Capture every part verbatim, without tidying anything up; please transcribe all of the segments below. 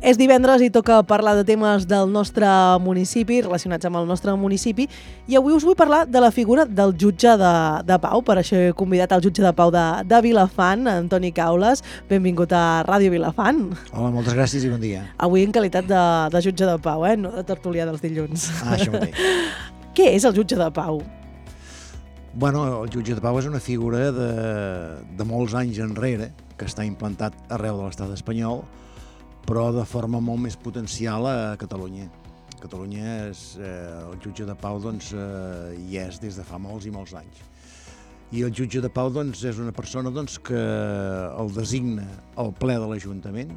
És divendres i toca parlar de temes del nostre municipi, relacionats amb el nostre municipi, i avui us vull parlar de la figura del jutge de, de pau. Per això he convidat el jutge de pau de, de Vilafant, Antoni Caules. Benvingut a Ràdio Vilafant. Hola, moltes gràcies i bon dia. Avui en qualitat de, de jutge de pau, eh? No de tertulià dels dilluns. Ah, això mateix. Què és el jutge de pau? Bueno, el jutge de pau és una figura de, de molts anys enrere, que està implantat arreu de l'estat espanyol, però de forma molt més potencial a Catalunya. A Catalunya és, eh, el jutge de pau doncs, eh, hi és des de fa molts i molts anys. I el jutge de pau doncs, és una persona doncs, que el designa el ple de l'Ajuntament,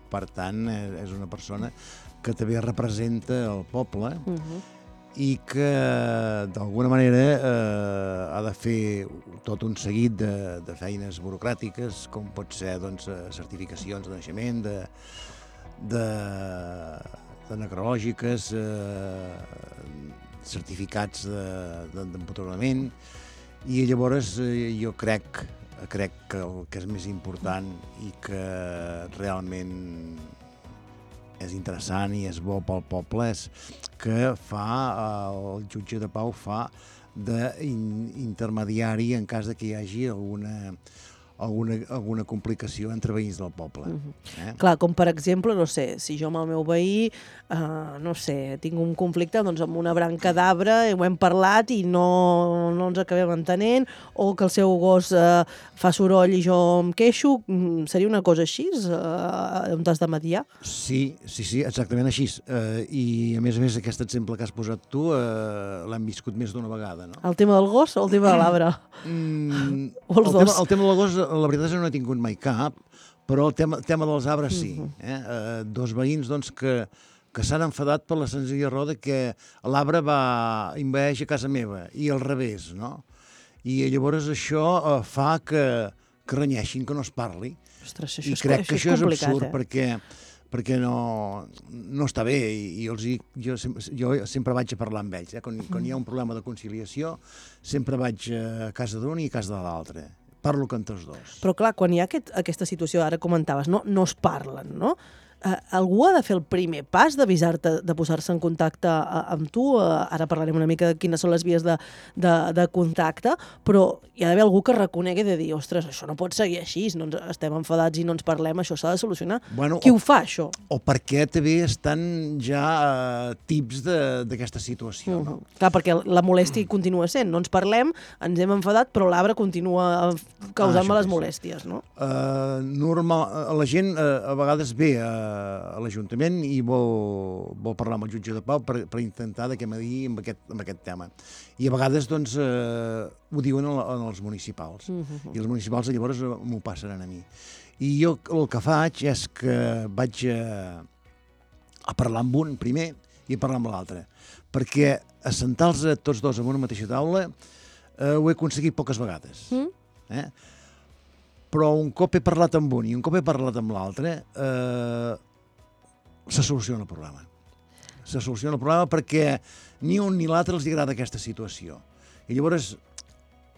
per tant, és una persona que també representa el poble, uh-huh. i que d'alguna manera eh, ha de fer tot un seguit de, de feines burocràtiques, com pot ser doncs, certificacions de naixement, de, de, de necrològiques, eh, certificats d'empadronament, i llavors eh, jo crec, crec que el que és més important i que realment és interessant i és bo pel poble és que fa, el jutge de pau fa d'intermediari en cas de que hi hagi alguna, alguna, alguna complicació entre veïns del poble. Uh-huh. eh? Clar, com per exemple, no sé, si jo amb el meu veí, uh, no sé, tinc un conflicte doncs, amb una branca d'arbre, ho hem parlat i no, no ens acabem entenent, o que el seu gos uh, fa soroll i jo em queixo, seria una cosa així, uh, on t'has de mediar? Sí, sí, sí, exactament així. Uh, I a més a més aquest exemple que has posat tu uh, l'hem viscut més d'una vegada, no? El tema del gos o el tema de l'arbre? Mm, o els el, dos? tema, el tema del gos, la veritat és que no he tingut mai cap, però el tema, tema dels arbres sí. Uh-huh. eh? uh, dos veïns doncs, que, que s'han enfadat per la senzilla raó de que l'arbre va envaeix a casa meva i al revés, no? I llavors això uh, fa que, que renyeixin, que no es parli. Ostres, això I és, crec això que és això és eh? absurd perquè, perquè no, no està bé i, i els, jo, jo sempre vaig a parlar amb ells. Eh? Quan, quan hi ha un problema de conciliació sempre vaig a casa d'un i a casa de l'altre. Parlo amb tots dos. Però clar, quan hi ha aquest, aquesta situació, ara comentaves, no, no es parlen, no? Uh, algú ha de fer el primer pas d'avisar-te, de posar-se en contacte uh, amb tu, uh, ara parlarem una mica de quines són les vies de, de, de contacte, però hi ha d'haver algú que reconegui de dir, ostres, això no pot seguir així, no ens, estem enfadats i no ens parlem, això s'ha de solucionar. Bueno, Qui o, ho fa, això? O perquè també estan ja uh, tips d'aquesta situació, no? Uh-huh. Clar, perquè la molèstia continua sent, no ens parlem, ens hem enfadat, però l'arbre continua causant-me ah, les molèsties, no? Uh, normal, la gent uh, a vegades ve a a l'Ajuntament i vol, vol parlar amb el jutge de pau per, per intentar de què m'adiï amb, aquest, amb aquest tema. I a vegades doncs, eh, ho diuen en, en els municipals. Uh-huh. I els municipals llavors m'ho passaran a mi. I jo el que faig és que vaig a, a parlar amb un primer i a parlar amb l'altre. Perquè assentar-los tots dos en una mateixa taula eh, ho he aconseguit poques vegades. Mm. Eh? Però un cop he parlat amb un i un cop he parlat amb l'altre, eh, se soluciona el problema. Se soluciona el problema perquè ni un ni l'altre els agrada aquesta situació. I llavors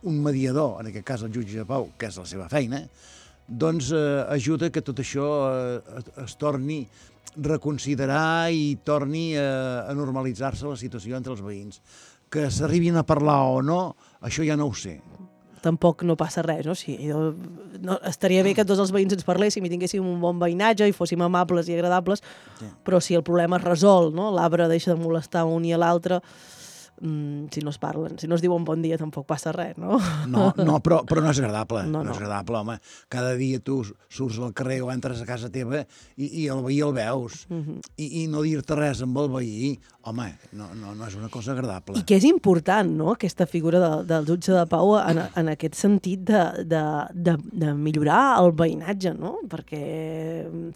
un mediador, en aquest cas el jutge de pau, que és la seva feina, doncs eh, ajuda que tot això eh, es torni a reconsiderar i torni a, a normalitzar-se la situació entre els veïns. Que s'arribin a parlar o no, això ja no ho sé. Tampoc no passa res, no? Sí, no, estaria bé que tots els veïns ens parléssim i tinguéssim un bon veïnatge i fóssim amables i agradables, sí. Però si el problema es resol, no? L'arbre deixa de molestar un i a l'altre, mm, si no es parlen, si no es diuen bon dia tampoc passa res, no? No, no però, però no és agradable, no, no. no és agradable, home. Cada dia tu surts al carrer o entres a casa teva i, i el veí el veus, uh-huh. I, i no dir-te res amb el veí, home, no, no, no és una cosa agradable. I que és important, no?, aquesta figura de, del jutge de pau en, en aquest sentit de, de, de, de millorar el veïnatge, no? Perquè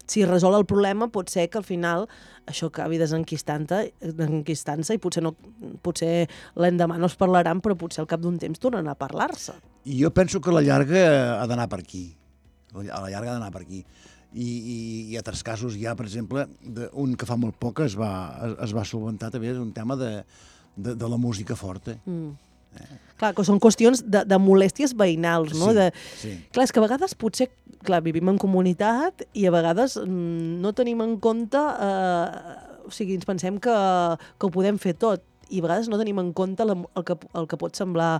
si resol el problema pot ser que al final això acabi desenquistant-se i potser, no, potser l'endemà no es parlaran, però potser al cap d'un temps tornen a parlar-se. I jo penso que a la llarga ha d'anar per aquí. A la llarga ha d'anar per aquí. I, i, i altres casos hi ha, per exemple, de, un que fa molt poc es va, es, es va solventar també un tema de, de, de la música forta. Mm. Clar, que són qüestions de, de molèsties veïnals, no? Sí, de... sí. Clar, és que a vegades potser, clar, vivim en comunitat i a vegades mm, no tenim en compte, eh, o sigui, ens pensem que, que ho podem fer tot, i a vegades no tenim en compte la, el, que, el que pot semblar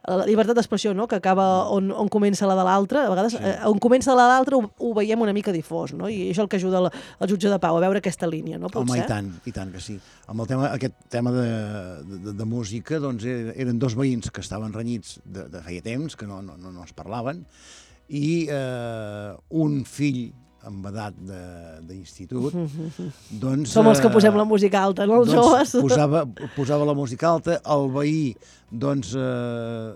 la llibertat d'expressió, no? Que acaba on, on comença la de l'altre. A vegades, sí. eh, on comença la de l'altre ho, ho veiem una mica difós, no? I això és el que ajuda el, el jutge de pau, a veure aquesta línia, no? Pot Home, ser? i tant, i tant que sí. Amb el tema, aquest tema de, de, de música, doncs eren dos veïns que estaven renyits de, de feia temps, que no, no, no es parlaven, i eh, un fill amb edat d'institut, doncs... Som els que posem la música alta, no, els doncs, joves? Posava, posava la música alta, el veí, doncs, eh,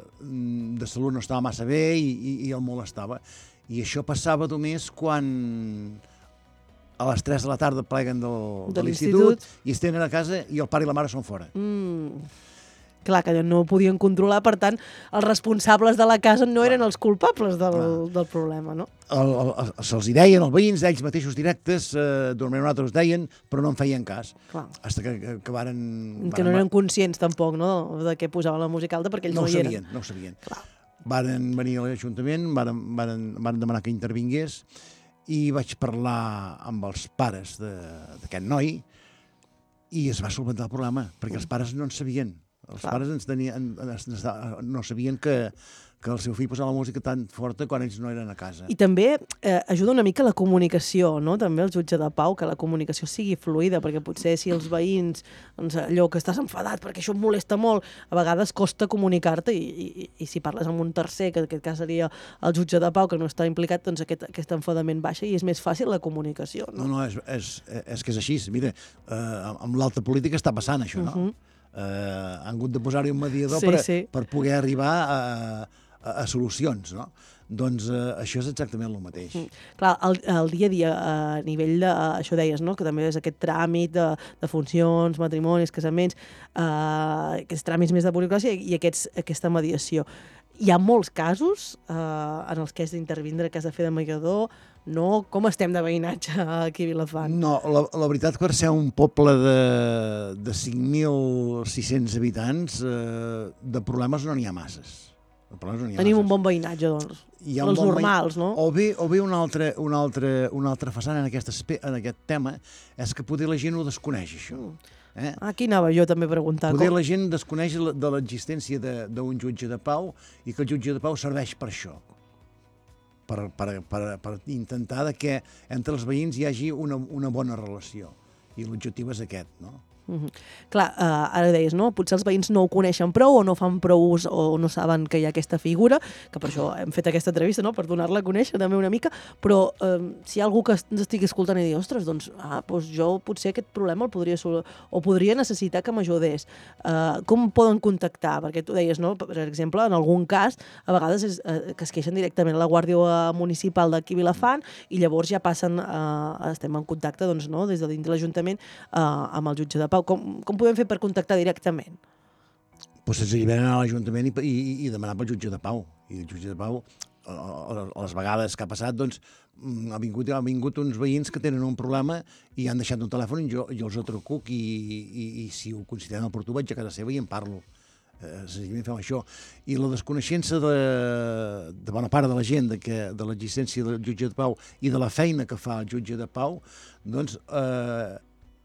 de salut no estava massa bé i, i, i el molestava. I això passava només quan a les tres de la tarda pleguen del, de, de l'institut i es tenen a casa i el pare i la mare són fora. Mm. Clar, que no ho podien controlar, per tant, els responsables de la casa no eren els culpables del, del problema, no? Se'ls hi deien, els veïns, ells mateixos directes, eh, d'una manera us deien, però no en feien cas. Clar. Hasta que, que, que varen... Que no eren conscients, tampoc, no?, de què posaven la música alta, perquè ells no, no hi eren. eren. No ho sabien, no ho Clar. sabien. Varen venir a l'Ajuntament, varen, varen, varen demanar que intervingués, i vaig parlar amb els pares d'aquest noi, i es va solventar el problema, perquè els pares no en sabien. Els Clar. pares ens tenien, no sabien que, que el seu fill posava la música tan forta quan ells no eren a casa. I també eh, ajuda una mica la comunicació, no? També el jutge de pau, que la comunicació sigui fluida, perquè potser si els veïns, doncs, allò que estàs enfadat perquè això em molesta molt, a vegades costa comunicar-te i, i, i si parles amb un tercer, que en aquest cas seria el jutge de pau, que no està implicat, doncs aquest, aquest enfadament baixa i és més fàcil la comunicació, no? No, no, és, és, és que és així. Mira, eh, amb l'alta política està passant això, no? Uh-huh. Eh, han hagut de posar-hi un mediador sí, per, sí. per poder arribar a, a, a solucions, no? Doncs eh, això és exactament el mateix. Mm. Clar, el, el dia a dia, a nivell de, això deies, no?, que també és aquest tràmit de, de funcions, matrimonis, casaments, eh, aquests tràmits més de burocràcia i aquests, aquesta mediació. Hi ha molts casos eh, en els que has d'intervindre, que has de fer de mediador, no? Com estem de veïnatge aquí a Vilafant? No, la, la veritat, per ser un poble de, de cinc mil sis-cents habitants, eh, de problemes no n'hi ha masses. No n'hi ha Tenim masses. Un bon veïnatge, doncs. Hi ha els bon normals, veïn... no? O bé, o bé una, altra, una, altra, una altra façana en aquest, en aquest tema és que poder la gent ho desconeix, això. Eh? Aquí anava jo també a preguntar. Poder com... la gent desconeix de l'existència d'un jutge de pau i que el jutge de pau serveix per això. Per, per, per, per intentar que entre els veïns hi hagi una, una bona relació. I l'objectiu és aquest, no? Mm-hmm. Clar, uh, ara deies, no? Potser els veïns no ho coneixen prou o no fan prou ús o no saben que hi ha aquesta figura, que per això hem fet aquesta entrevista, no?, per donar-la a conèixer també una mica, però uh, si hi ha algú que ens estigui escoltant i digui, ostres, doncs, ah, doncs jo potser aquest problema el podria sol... o podria necessitar que m'ajudés. Uh, com poden contactar? Perquè tu deies, no?, per exemple, en algun cas, a vegades és, uh, que es queixen directament a la Guàrdia Municipal d'aquí Vilafant i llavors ja passen, uh, estem en contacte, doncs, no?, des de dins de l'Ajuntament uh, amb el jutge de pau. Com, com podem fer per contactar directament? Pues senzillament anar a l'Ajuntament i, i, i demanar pel jutge de pau. I el jutge de pau, a, a, a les vegades que ha passat, doncs, ha vingut, ha vingut uns veïns que tenen un problema i han deixat un telèfon i jo, jo els truco i, i, i si ho consideren oportú vaig a casa seva i en parlo. Eh, senzillament fem això. I la desconeixença de, de bona part de la gent de, que, de l'existència del jutge de pau i de la feina que fa el jutge de pau, doncs... Eh,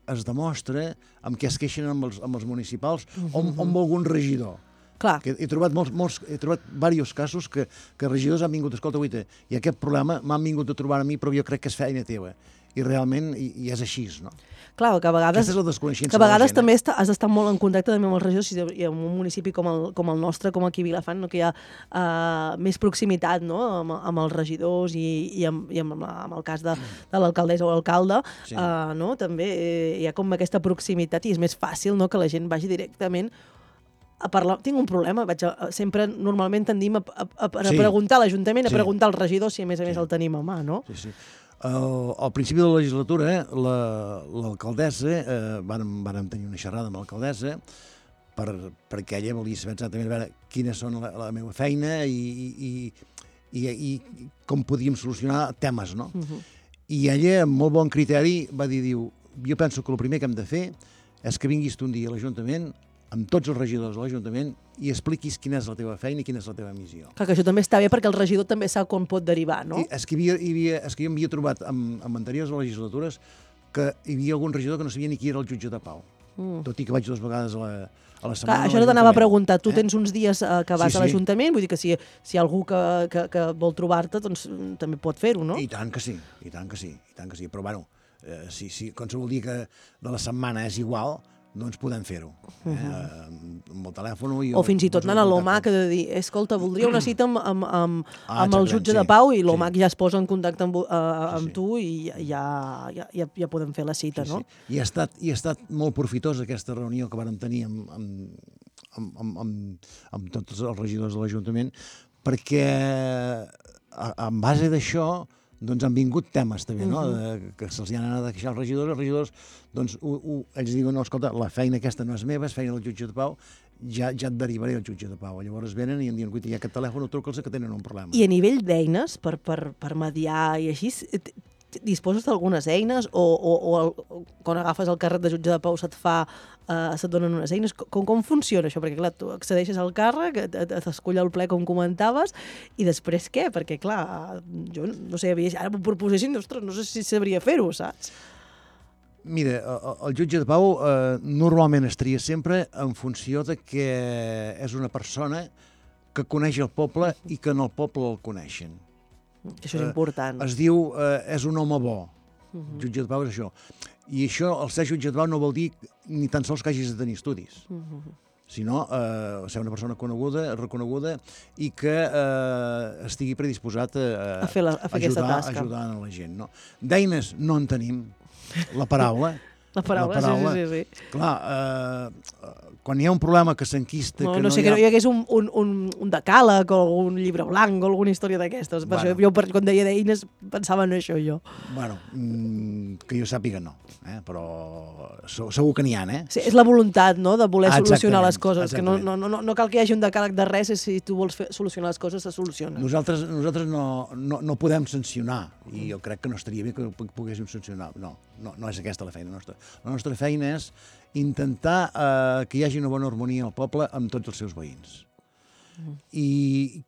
es demostra amb què es queixen amb els, amb els municipals uh-huh. o, o amb algun regidor. Clar. Que he trobat molts, molts, he trobat diversos casos que, que regidors han vingut, escolta, guaita, i aquest problema m'han vingut a trobar a mi, però jo crec que és feina teva. I realment i, i és així, no? Clar, que a vegades, Aquesta és la desconeixença que a vegades de la gent, també eh? està, has d'estar molt en contacte també amb els regidors i en un municipi com el, com el nostre, com aquí a Vilafant, no? Que hi ha uh, més proximitat, no?, amb, amb els regidors i, i, amb, i amb, amb el cas de, de l'alcaldessa o l'alcalde, sí. uh, no? També eh, hi ha com aquesta proximitat i és més fàcil, no?, que la gent vagi directament a parlar. Tinc un problema, vaig a, sempre normalment tendim a, a, a, a sí. preguntar a l'Ajuntament, a sí. preguntar als regidors si a més a més sí. el tenim a mà, no? Sí, sí. Al, al principi de la legislatura, eh, l'alcaldessa, la, eh, vàrem, vàrem tenir una xerrada amb l'alcaldessa per, perquè ella volia saber exactament veure quines són la, la meva feina i, i, i, i com podíem solucionar temes, no? Uh-huh. I ella, amb molt bon criteri, va dir, diu, jo penso que el primer que hem de fer és que vinguis tu un dia a l'Ajuntament amb tots els regidors de l'Ajuntament i expliquis quina és la teva feina i quina és la teva missió. Clar, que això també està bé perquè el regidor també sap com pot derivar, no? I és que, hi havia, hi havia, és que jo m'havia trobat amb, amb anteriors legislatures que hi havia algun regidor que no sabia ni qui era el jutge de pau. Mm. Tot i que vaig dues vegades a la, a la setmana. Clar, això no t'anava a preguntar. Tu eh? tens uns dies uh, que vas sí, sí. a l'Ajuntament, vull dir que si, si hi ha algú que, que, que vol trobar-te, doncs també pot fer-ho, no? I tant que sí, i tant que sí, i tant que sí. Però, bueno, eh, si, si qualsevol dia que de la setmana és igual, doncs podem fer-ho. Eh? Uh -huh. Amb el telèfon... I o fins i tot anant a l'OMAC que de dir, escolta, voldria una cita amb, amb, amb, ah, amb el jutge sí, de pau i l'OMAC sí. ja es posa en contacte amb, uh, amb sí, sí. tu i ja, ja, ja, ja podem fer la cita, sí, no? Sí. I ha estat, i ha estat molt profitosa aquesta reunió que vàrem tenir amb, amb, amb, amb, amb, amb tots els regidors de l'Ajuntament, perquè en base d'això doncs han vingut temes també, no? De, que se'ls han anat a queixar els regidors, els regidors, doncs, u, u, ells diuen, no, escolta, la feina aquesta no és meva, és feina del jutge de pau, ja, ja et derivaré al jutge de pau. Llavors venen i em diuen, cuita, hi ha aquest telèfon, truca'ls que tenen un problema. I a nivell d'eines, per, per, per mediar i així, disposes d'algunes eines o, o, o el, quan agafes el càrrec de jutge de pau se't fa, uh, se't donen unes eines? Com, com funciona això? Perquè, clar, tu accedeixes al càrrec, t'escull el ple com comentaves, i després què? Perquè, clar, jo no sé, ara m'ho proposessin, ostres, no sé si sabria fer-ho, saps? Mira, el, el jutge de pau eh, normalment es tria sempre en funció de que és una persona que coneix el poble i que en el poble el coneixen. Això és important. Eh, es diu, eh, és un home bo. Uh-huh. Jutge de pau és això. I això, el ser jutge de pau no vol dir ni tan sols que hagis de tenir estudis, uh-huh. sinó eh, ser una persona coneguda, reconeguda i que eh, estigui predisposat a, a fer, la, a fer ajudar, aquesta tasca. ajudar a la gent. No? D'eines no en tenim. La paraula. La paraula, la paraula sí, sí, sí. Clar, eh, quan hi ha un problema que s'enquista... No, que no, no sé, hi ha... que no hi hagués un, un, un, un decàleg o un llibre blanc o alguna història d'aquestes. Per bueno. això, jo, per, quan deia d'eines, pensava en això, jo. Bueno, mmm, que jo sàpiga no, eh? Però segur que n'hi ha, eh? Sí, és la voluntat, no?, de voler exactament, solucionar les coses, exactament. que no, no, no, no cal que hi hagi un decàleg de res, si tu vols fer, solucionar les coses, se soluciona. Nosaltres, nosaltres no, no, no podem sancionar, i jo crec que no estaria bé que poguéssim sancionar. No, no, no és aquesta la feina nostra. La nostra feina és intentar eh, que hi hagi una bona harmonia al poble amb tots els seus veïns. Mm. I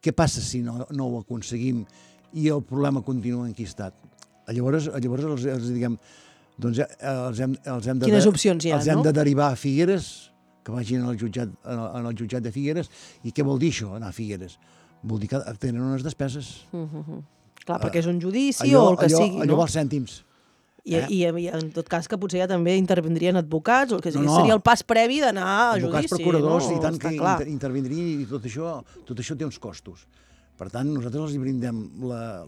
què passa si no, no ho aconseguim i el problema continua enquistat? Llavors, llavors els, els diguem, doncs els hem, els hem de, Quines opcions hi ha, els hem no? de derivar a Figueres, que vagin al jutjat, en el jutjat de Figueres. I què vol dir això, anar a Figueres? Vol dir que tenen unes despeses. Mm-hmm. Clar, perquè és un judici allò, o el que allò, sigui, allò no? vals cèntims. I, eh? i, I en tot cas que potser ja també intervindrien advocats, o que no, no. seria el pas previ d'anar a judici. Advocats, procuradors, no? i tant Està que clar. inter intervindrien, i tot això, tot això té uns costos. Per tant, nosaltres els brindem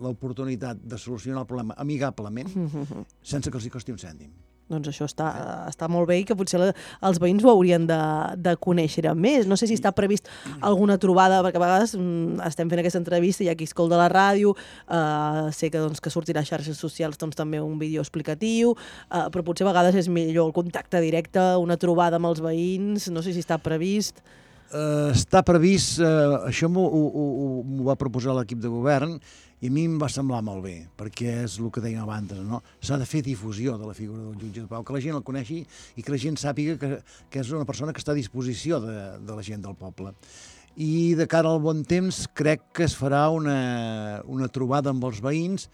l'oportunitat de solucionar el problema amigablement, mm-hmm. sense que els hi costi un cèntim. Doncs això està, està molt bé i que potser la, els veïns ho haurien de, de conèixer més. No sé si està previst alguna trobada, perquè a vegades mm, estem fent aquesta entrevista, hi ha qui escolta la ràdio, eh, sé que, doncs, que sortirà a xarxes socials doncs, també un vídeo explicatiu, eh, però potser a vegades és millor el contacte directe, una trobada amb els veïns, no sé si està previst. Uh, està previst, uh, això m'ho va proposar l'equip de govern, i a mi em va semblar molt bé, perquè és el que dèiem abans, no? S'ha de fer difusió de la figura del jutge de pau, que la gent el coneixi i que la gent sàpiga que, que és una persona que està a disposició de, de la gent del poble. I de cara al bon temps crec que es farà una, una trobada amb els veïns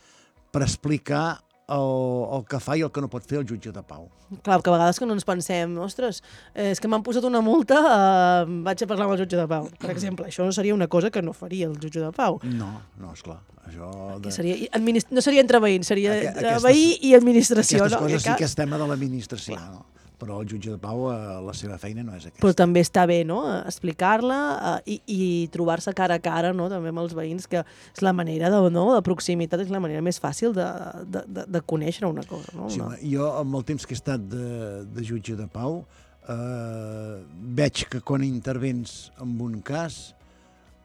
per explicar el, el que fa i el que no pot fer el jutge de pau. Clar, que a vegades que no ens pensem, ostres, eh, és que m'han posat una multa, eh, vaig a parlar amb el jutge de pau. Per exemple, això no seria una cosa que no faria el jutge de pau. No, no, esclar. Això de... seria, no seria entre veïns, seria aquestes, veí i administració. Aquestes no? coses sí que és tema de l'administració, no? Però el jutge de pau, eh, la seva feina no és aquesta. Però també està bé, no?, explicar-la eh, i, i trobar-se cara a cara, no?, també amb els veïns, que és la manera de, no?, de proximitat, és la manera més fàcil de, de, de, de conèixer una cosa, no? Sí, home, jo, amb el temps que he estat de, de jutge de pau, eh, veig que quan intervens en un cas,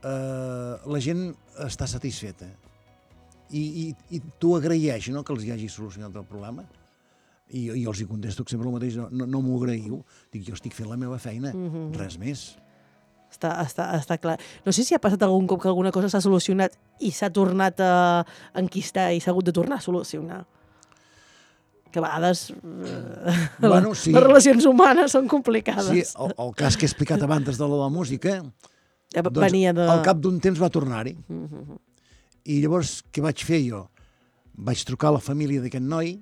eh, la gent està satisfeta. I, i, i tu agraeix, no?, que els hi hagi solucionat el problema. I jo, jo els hi contesto sempre el mateix, no, no, no m'ho agraïu, dic, jo estic fent la meva feina, mm-hmm. res més. Està, està, està clar. No sé si ha passat algun cop que alguna cosa s'ha solucionat i s'ha tornat a enquistar i s'ha hagut de tornar a solucionar. que a vegades eh, Bueno, sí. les relacions humanes són complicades. Sí, el, el cas que he explicat abans de la música, Ja doncs venia de... al cap d'un temps va tornar-hi. Mm -hmm. I llavors, què vaig fer jo? Vaig trucar a la família d'aquest noi,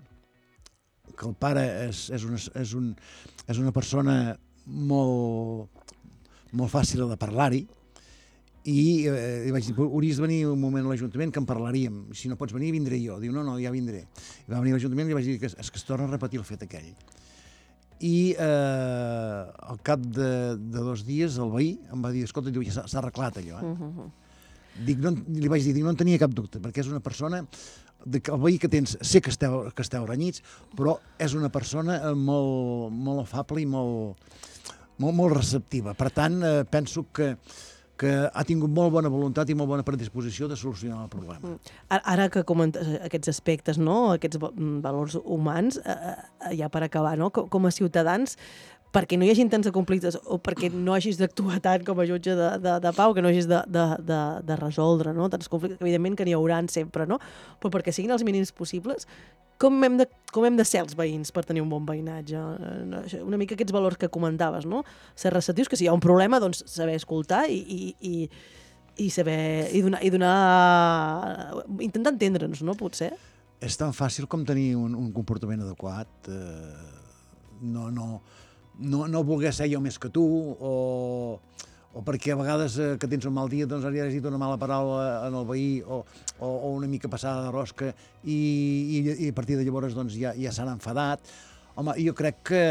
que el pare és, és, una, és, un, és una persona molt, molt fàcil de parlar-hi, i eh, li vaig dir, hauries de venir un moment a l'Ajuntament que en parlaríem, si no pots venir vindré jo. Diu, no, no, ja vindré. I va venir a l'Ajuntament i li vaig dir que és que es torna a repetir el fet aquell. I eh, al cap de, de dos dies el veí em va dir, escolta, diu, ja s'ha arreglat allò. Eh? Uh -huh. Dic, no, li vaig dir, dic, no en tenia cap dubte, perquè és una persona, de, el veí que tens, sé que esteu, que esteu renyits, però és una persona molt, molt afable i molt, molt, molt receptiva. Per tant, eh, penso que que ha tingut molt bona voluntat i molt bona predisposició de solucionar el problema. Ara que comentes aquests aspectes, no? Aquests valors humans, eh, ja per acabar, no? Com a ciutadans, perquè no hi hagin tants conflictes o perquè no hagis d'actuar tant com a jutge de, de, de pau, que no hagis de, de, de, de resoldre, no? Tants conflictes, evidentment que n'hi hauran sempre, no? Però perquè siguin els mínims possibles, com hem, de, com hem de ser els veïns per tenir un bon veïnatge? Una mica aquests valors que comentaves, no? Ser receptius, que si hi ha un problema, doncs saber escoltar i, i, i, i saber... i donar... I donar intentar entendre'ns, no? Potser? És tan fàcil com tenir un, un comportament adequat. Eh, no, no, no, no voler ser jo més que tu, o... o perquè a vegades eh, que tens un mal dia doncs has dit una mala paraula en el veí o, o, o una mica passada de rosca i, i, i a partir de llavors doncs, ja, ja s'han enfadat. Home, jo crec que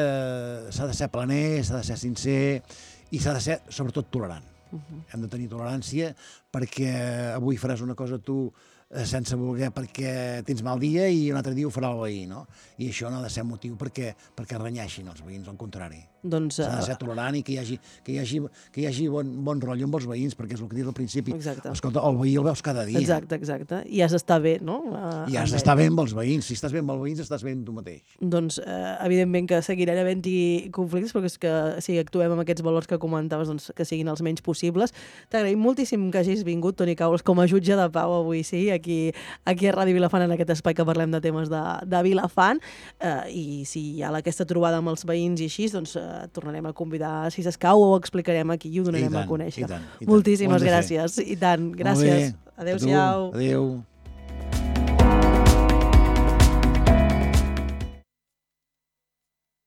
s'ha de ser planer, s'ha de ser sincer i s'ha de ser sobretot tolerant. Uh-huh. Hem de tenir tolerància perquè avui faràs una cosa tu eh, sense voler perquè tens mal dia i un altre dia ho farà el veí, no? I això no ha de ser motiu perquè, perquè renyeixin els veïns, al contrari. Doncs, s'ha de ser tolerant i que hi hagi, que hi hagi, que hi hagi bon, bon rotllo amb els veïns, perquè és el que dius al principi. Exacte. Escolta, el veí el veus cada dia. Exacte, exacte. I has d'estar bé, no? Uh, I has d'estar bé amb els veïns. Si estàs bé amb els veïns, estàs bé amb tu mateix. Doncs, eh, evidentment que seguiran havent-hi conflictes, perquè és que si actuem amb aquests valors que comentaves, doncs que siguin els menys possibles. T'agraïm moltíssim que hagis vingut, Toni Caules, com a jutge de pau avui, sí, aquí, aquí a Ràdio Vilafant, en aquest espai que parlem de temes de, de Vilafant. Eh, I si hi ha aquesta trobada amb els veïns i així, doncs eh, tornarem a convidar, si s'escau, ho explicarem aquí i ho donarem tant, a conèixer. I tant, i tant. Moltíssimes gràcies. I tant, gràcies. Adéu-siau. Adéu.